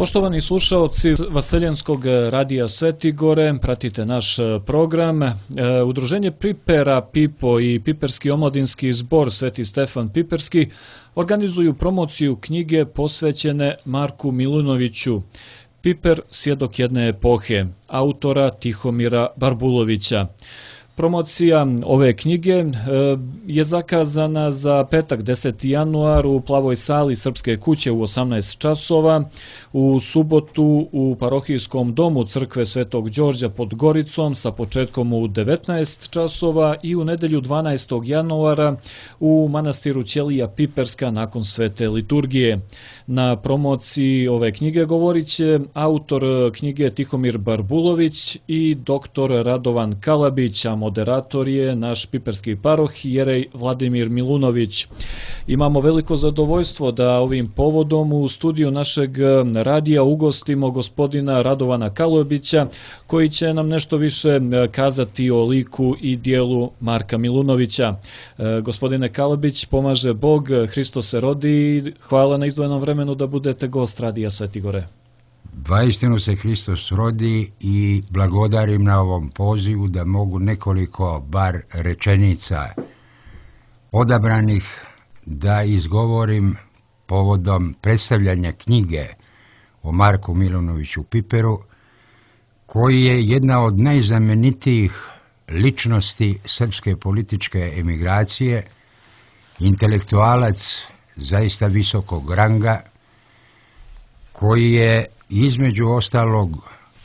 Poštovani slušaoci Vaseljenskog radija Svetigore, pratite naš program. Udruženje Pipera Pipo i Piperski omladinski zbor Sveti Stefan Piperski organizuju promociju knjige posvećene Marku Milunoviću, Piper, svjedok jedne epohe, autora Tihomira Barbulovića. Promocija ove knjige je zakazana za petak 10. januar u Plavoj sali Srpske kuće u 18 časova, u subotu u parohijskom domu Crkve Svetog Đorđa pod Goricom sa početkom u 19 časova i u nedelju 12. januara u manastiru Ćelija Piperska nakon svete liturgije. Na promociji ove knjige govorit će autor knjige Tihomir Barbulović i doktor Radovan Kalabić, a moderator je naš piperski paroh jerej Vladimir Milunović. Imamo veliko zadovoljstvo da ovim povodom u studiju našeg radija ugostimo gospodina Radovana Kalabića, koji će nam nešto više kazati o liku i dijelu Marka Milunovića. Gospodine Kalabić, pomaže Bog, Hristos se rodi i hvala na izdvojenom vremenu da budete gost radija Svetigore. Vaistinu se Hristos rodi i blagodarim na ovom pozivu da mogu nekoliko bar rečenica odabranih da izgovorim povodom predstavljanja knjige o Marku Milunoviću Piperu, koji je jedna od najznamenitijih ličnosti srpske političke emigracije, intelektualac zaista visokog ranga, koji je između ostalog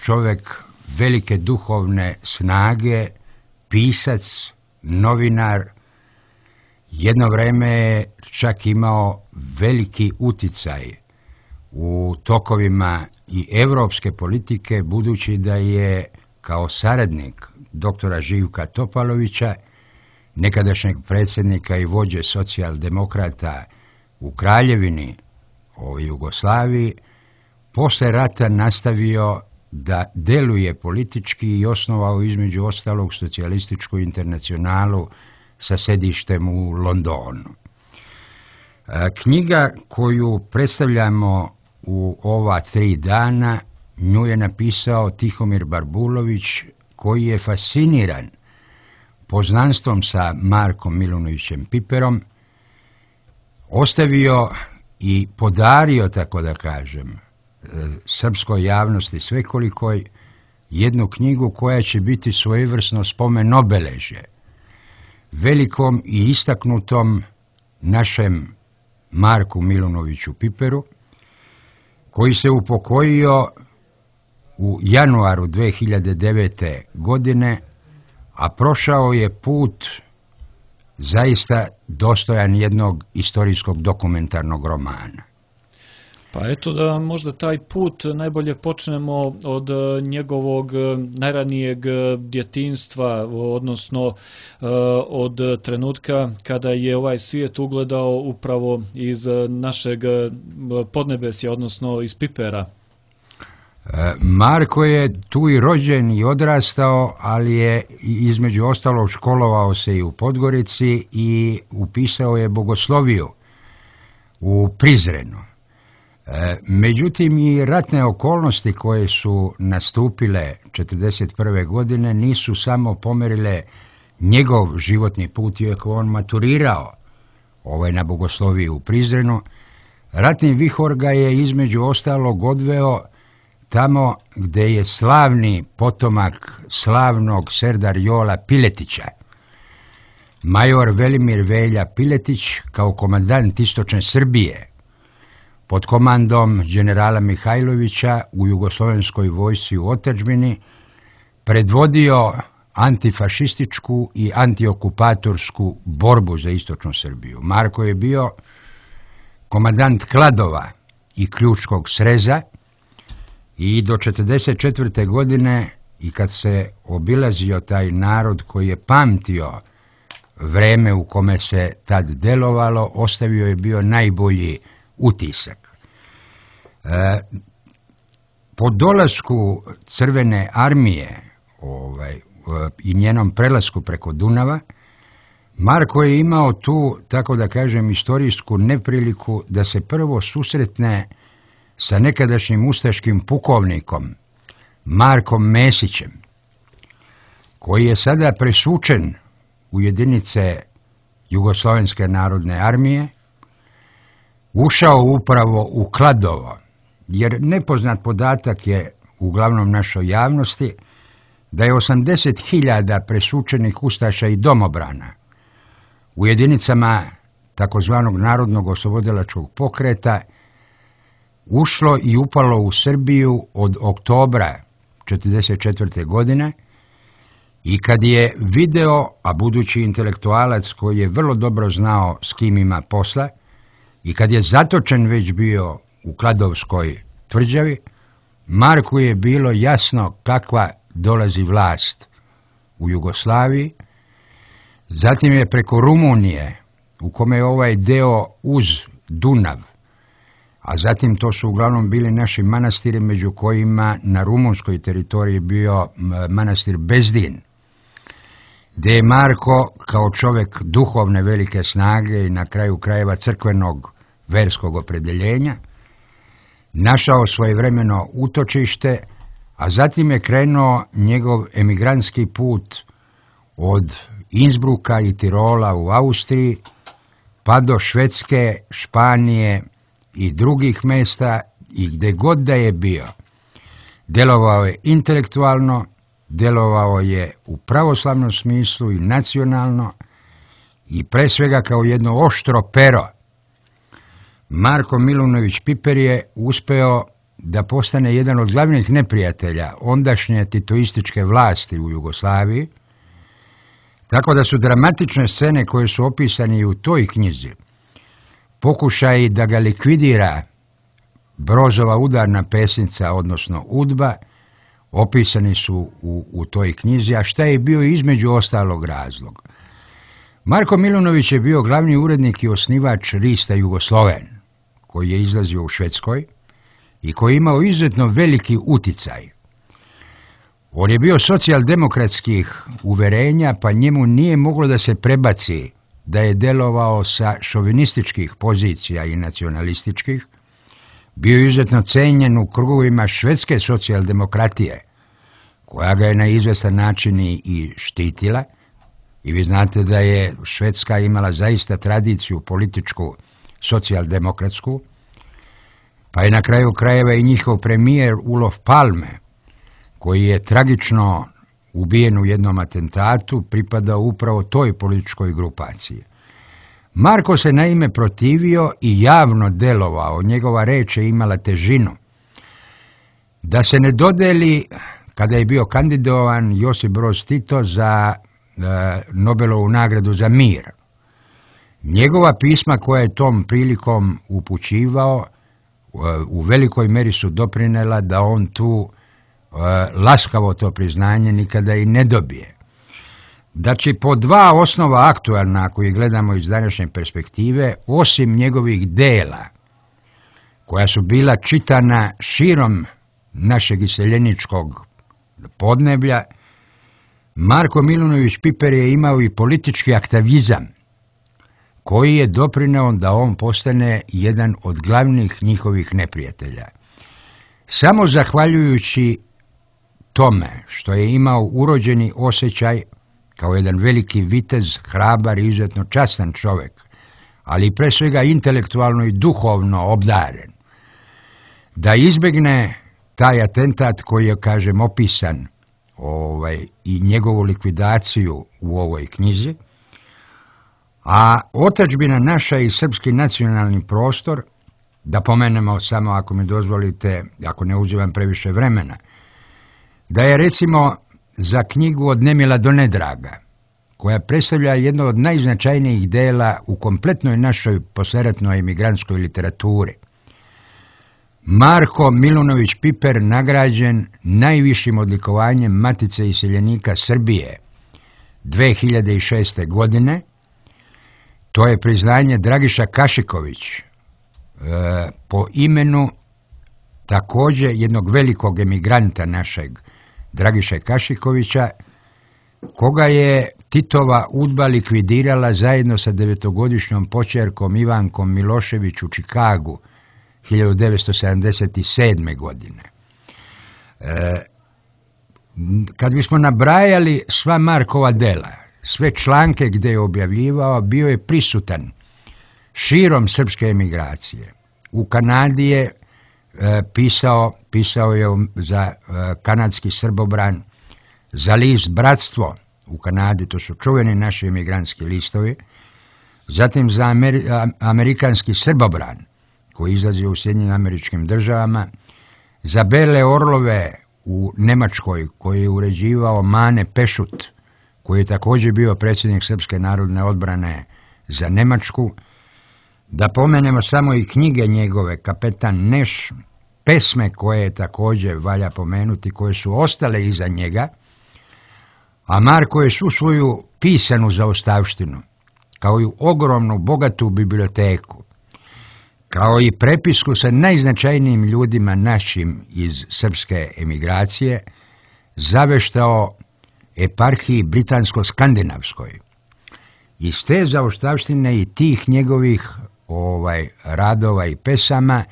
čovjek velike duhovne snage, pisac, novinar. Jedno vreme je čak imao veliki uticaj u tokovima i evropske politike, budući da je kao saradnik doktora Živka Topalovića, nekadašnjeg predsjednika i vođe socijaldemokrata u Kraljevini o Jugoslaviji, posle rata nastavio da deluje politički i osnovao između ostalog socijalističku internacionalu sa sedištem u Londonu. Knjiga koju predstavljamo u ova 3 dana, nju je napisao Tihomir Barbulović, koji je fasciniran poznanstvom sa Markom Milunovićem Piperom, ostavio i podario, tako da kažem, srpskoj javnosti svekolikoj jednu knjigu koja će biti svojevrsno spomen obeležje velikom i istaknutom našem Marku Milunoviću Piperu, koji se upokojio u januaru 2009. godine, a prošao je put zaista dostojan jednog istorijskog dokumentarnog romana. Pa eto da možda taj put najbolje počnemo od njegovog najranijeg djetinjstva, odnosno od trenutka kada je ovaj svijet ugledao upravo iz našeg podnebesja, odnosno iz Pipera. Marko je tu i rođen i odrastao, ali je između ostalog školovao se i u Podgorici i upisao je bogosloviju u Prizrenu. Međutim, i ratne okolnosti koje su nastupile 1941. godine nisu samo pomerile njegov životni put, iako on maturirao na bogosloviji u Prizrenu. Ratni vihor ga je između ostalog odveo tamo gde je slavni potomak slavnog Serdar Jola Piletića, major Velimir Velja Piletić, kao komandant istočne Srbije, pod komandom generala Mihajlovića u jugoslovenskoj vojsci u otadžbini, predvodio antifašističku i antiokupatorsku borbu za istočnu Srbiju. Marko je bio komandant Kladova i Ključkog sreza i do 1944. godine, i kad se obilazio taj narod koji je pamtio vreme u kome se tad delovalo, ostavio je bio najbolji utisak. Po dolasku Crvene armije i njenom prelasku preko Dunava, Marko je imao tu, tako da kažem, istorijsku nepriliku da se prvo susretne sa nekadašnjim ustaškim pukovnikom Markom Mesićem, koji je sada presučen u jedinice Jugoslovenske narodne armije, ušao upravo u Kladovo, jer nepoznat podatak je uglavnom našoj javnosti da je 80.000 presučenih ustaša i domobrana u jedinicama takozvanog Narodnog oslobodilačkog pokreta ušlo i upalo u Srbiju od oktobra 1944. godine i kad je video, a budući intelektualac koji je vrlo dobro znao s kim ima posla, i kad je zatočen već bio u Kladovskoj tvrđavi, Marku je bilo jasno kakva dolazi vlast u Jugoslaviji. Zatim je preko Rumunije, u kome je ovaj deo uz Dunav, a zatim to su uglavnom bili naši manastiri, među kojima na rumunskoj teritoriji bio manastir Bezdin, gdje je Marko kao čovjek duhovne velike snage i na kraju krajeva crkvenog verskog opredjeljenja našao svojevremeno utočište, a zatim je krenuo njegov emigrantski put od Innsbrucka i Tirola u Austriji pa do Švedske, Španije i drugih mjesta, i gdje god da je bio, djelovao je intelektualno, djelovao je u pravoslavnom smislu i nacionalno i pre svega kao jedno oštro pero. Marko Milunović Piper je uspeo da postane jedan od glavnih neprijatelja ondašnje titoističke vlasti u Jugoslaviji, tako da su dramatične scene koje su opisane i u toj knjizi, pokušaji da ga likvidira Brozova udarna pesnica, odnosno UDBA, opisani su u toj knjizi, a šta je bio između ostalog razlog. Marko Milunović je bio glavni urednik i osnivač lista Jugosloven, koji je izlazio u Švedskoj i koji je imao izuzetno veliki uticaj. On je bio socijaldemokratskih uverenja, pa njemu nije moglo da se prebaci da je delovao sa šovinističkih pozicija i nacionalističkih. Bio je izuzetno cenjen u krugovima švedske socijaldemokratije, koja ga je na izvestan način i štitila. I vi znate da je Švedska imala zaista tradiciju političku socijaldemokratsku, pa je na kraju krajeva i njihov premijer Olof Palme, koji je tragično ubijen u jednom atentatu, pripadao upravo toj političkoj grupaciji. Marko se naime protivio i javno delovao, njegova reč je imala težinu, da se ne dodeli, kada je bio kandidovan Josip Broz Tito za Nobelovu nagradu za mir. Njegova pisma koja je tom prilikom upućivao u velikoj meri su doprinela da on tu laskavo to priznanje nikada i ne dobije. Znači, po dva osnova aktualna, ako ih gledamo iz današnje perspektive, osim njegovih dela, koja su bila čitana širom našeg iseljeničkog podneblja, Marko Milunović Piper je imao i politički aktivizam, koji je doprineo da on postane jedan od glavnih njihovih neprijatelja. Samo zahvaljujući tome što je imao urođeni osjećaj kao jedan veliki vitez, hrabar i izuzetno častan čovjek, ali pre svega intelektualno i duhovno obdaren, da izbjegne taj atentat koji je, kažem, opisan i njegovu likvidaciju u ovoj knjizi, a otadžbina naša i srpski nacionalni prostor, da pomenemo samo, ako mi dozvolite, ako ne uzimam previše vremena, da je recimo za knjigu Od nemila do nedraga, koja predstavlja jedno od najznačajnijih dela u kompletnoj našoj posleratnoj emigrantskoj literaturi, Marko Milunović Piper nagrađen najvišim odlikovanjem Matice iseljenika Srbije 2006. godine. To je priznanje Dragiša Kašiković, po imenu također jednog velikog emigranta našeg, Dragiše Kašikovića, koga je Titova UDBA likvidirala zajedno sa 9-godišnjom počerkom Ivankom Milošević u Čikagu 1977. godine. Kad bismo nabrajali sva Markova dela, sve članke gdje je objavljivao, bio je prisutan širom srpske emigracije. U Kanadi je pisao je za kanadski Srbobran, za list Bratstvo u Kanadi, to su čuveni naši emigrantski listovi, zatim za amerikanski Srbobran, koji izlazi u Sjedinjenim Američkim Državama, za Bele orlove u Nemačkoj, koji je uređivao Mane Pešut, koji je također bio predsjednik Srpske narodne odbrane za Nemačku. Da pomenemo samo i knjige njegove, Kapetan Neš, pesme koje također valja pomenuti, koje su ostale iza njega, a Marko je svu svoju pisanu zaostavštinu, kao i ogromnu, bogatu biblioteku, kao i prepisku sa najznačajnijim ljudima našim iz srpske emigracije, zaveštao eparhiji britansko-skandinavskoj. Iz te zaostavštine i tih njegovih radova i pesama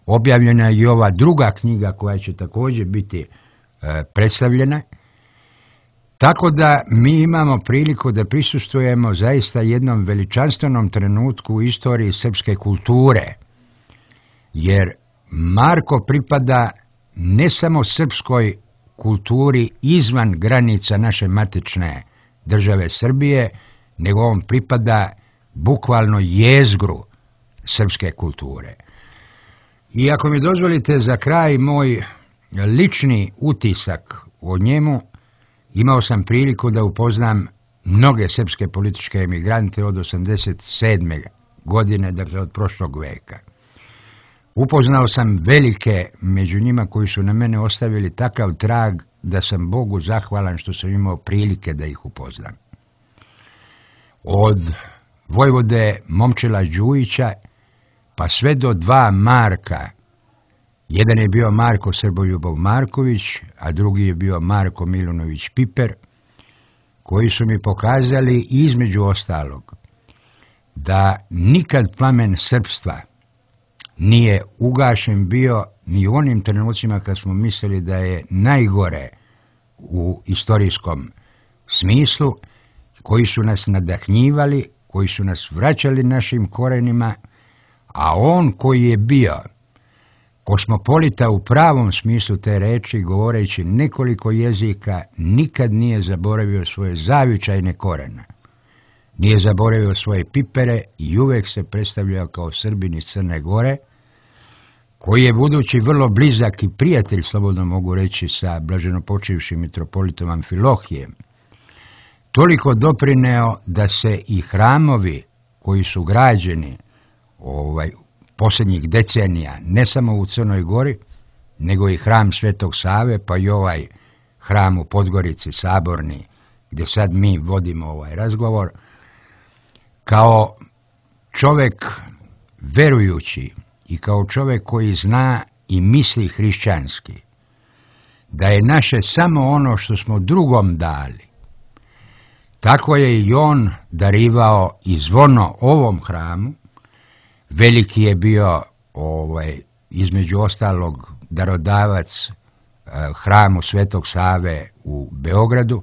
objavljena je i ova druga knjiga koja će također biti predstavljena. Tako da mi imamo priliku da prisustvujemo zaista jednom veličanstvenom trenutku u istoriji srpske kulture, jer Marko pripada ne samo srpskoj kulturi izvan granica naše matične države Srbije, nego on pripada bukvalno jezgru srpske kulture. I ako mi dozvolite za kraj moj lični utisak o njemu, imao sam priliku da upoznam mnoge srpske političke emigrante od 87. godine, dakle od prošlog veka. Upoznao sam velike među njima koji su na mene ostavili takav trag da sam Bogu zahvalan što sam imao prilike da ih upoznam. Od vojvode Momčila Đujića pa sve do dva Marka. Jedan je bio Marko Srboljubov Marković, a drugi je bio Marko Milunović Piper, koji su mi pokazali između ostalog da nikad plamen srpstva nije ugašen bio ni u onim trenucima kad smo mislili da je najgore u istorijskom smislu, koji su nas nadahnjivali, koji su nas vraćali našim korenima, a on koji je bio kosmopolita u pravom smislu te reči, govoreći nekoliko jezika, nikad nije zaboravio svoje zavičajne korene. Nije zaboravio svoje pipere i uvek se predstavljao kao Srbin iz Crne Gore, koji je budući vrlo blizak i prijatelj, slobodno mogu reći, sa blaženopočivšim mitropolitom Amfilohijem, toliko doprineo da se i hramovi koji su građeni posljednjih decenija, ne samo u Crnoj Gori, nego i hram Svetog Save, pa i ovaj hram u Podgorici, Saborni, gdje sad mi vodimo ovaj razgovor, kao čovjek verujući i kao čovjek koji zna i misli hrišćanski, da je naše samo ono što smo drugom dali, tako je i on darivao i zvono ovom hramu. Veliki je bio između ostalog darodavac hramu Svetog Save u Beogradu.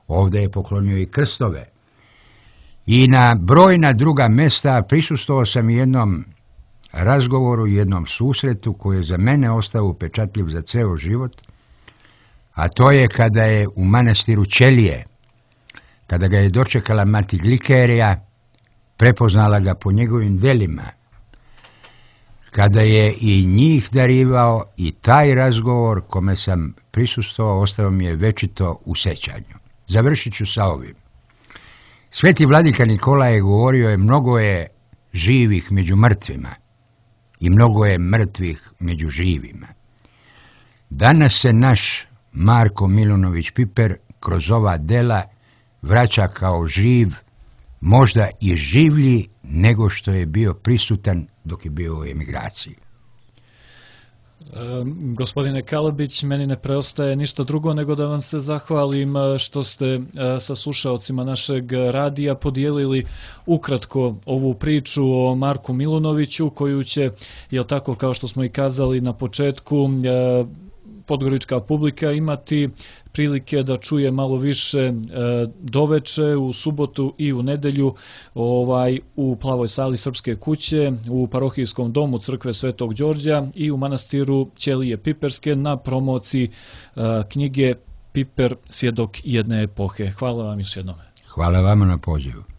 Ovdje je poklonio i krstove. I na brojna druga mjesta prisustvovao sam jednom razgovoru, jednom susretu koji je za mene ostao upečatljiv za ceo život, a to je kada je u manastiru Ćelije, kada ga je dočekala mati Glikerija, prepoznala ga po njegovim delima, kada je i njih darivao, i taj razgovor kome sam prisustvovao ostao mi je večito u sećanju. Završit ću sa ovim. Sveti vladika Nikola je govorio mnogo je živih među mrtvima i mnogo je mrtvih među živima. Danas se naš Marko Milunović Piper kroz ova dela vraća kao živ, možda i življi nego što je bio prisutan dok je bio u emigraciji. Gospodine Kalabić, meni ne preostaje ništa drugo nego da vam se zahvalim što ste sa slušaocima našeg radija podijelili ukratko ovu priču o Marku Milunoviću, koju će, jel tako, kao što smo i kazali na početku, podgorička publika imati prilike da čuje malo više doveče, u subotu i u nedelju u Plavoj sali Srpske kuće, u parohijskom domu Crkve Svetog Đorđa i u manastiru Ćelije Piperske na promociji knjige Piper, svjedok jedne epohe. Hvala vam još jednom. Hvala vama na pozivu.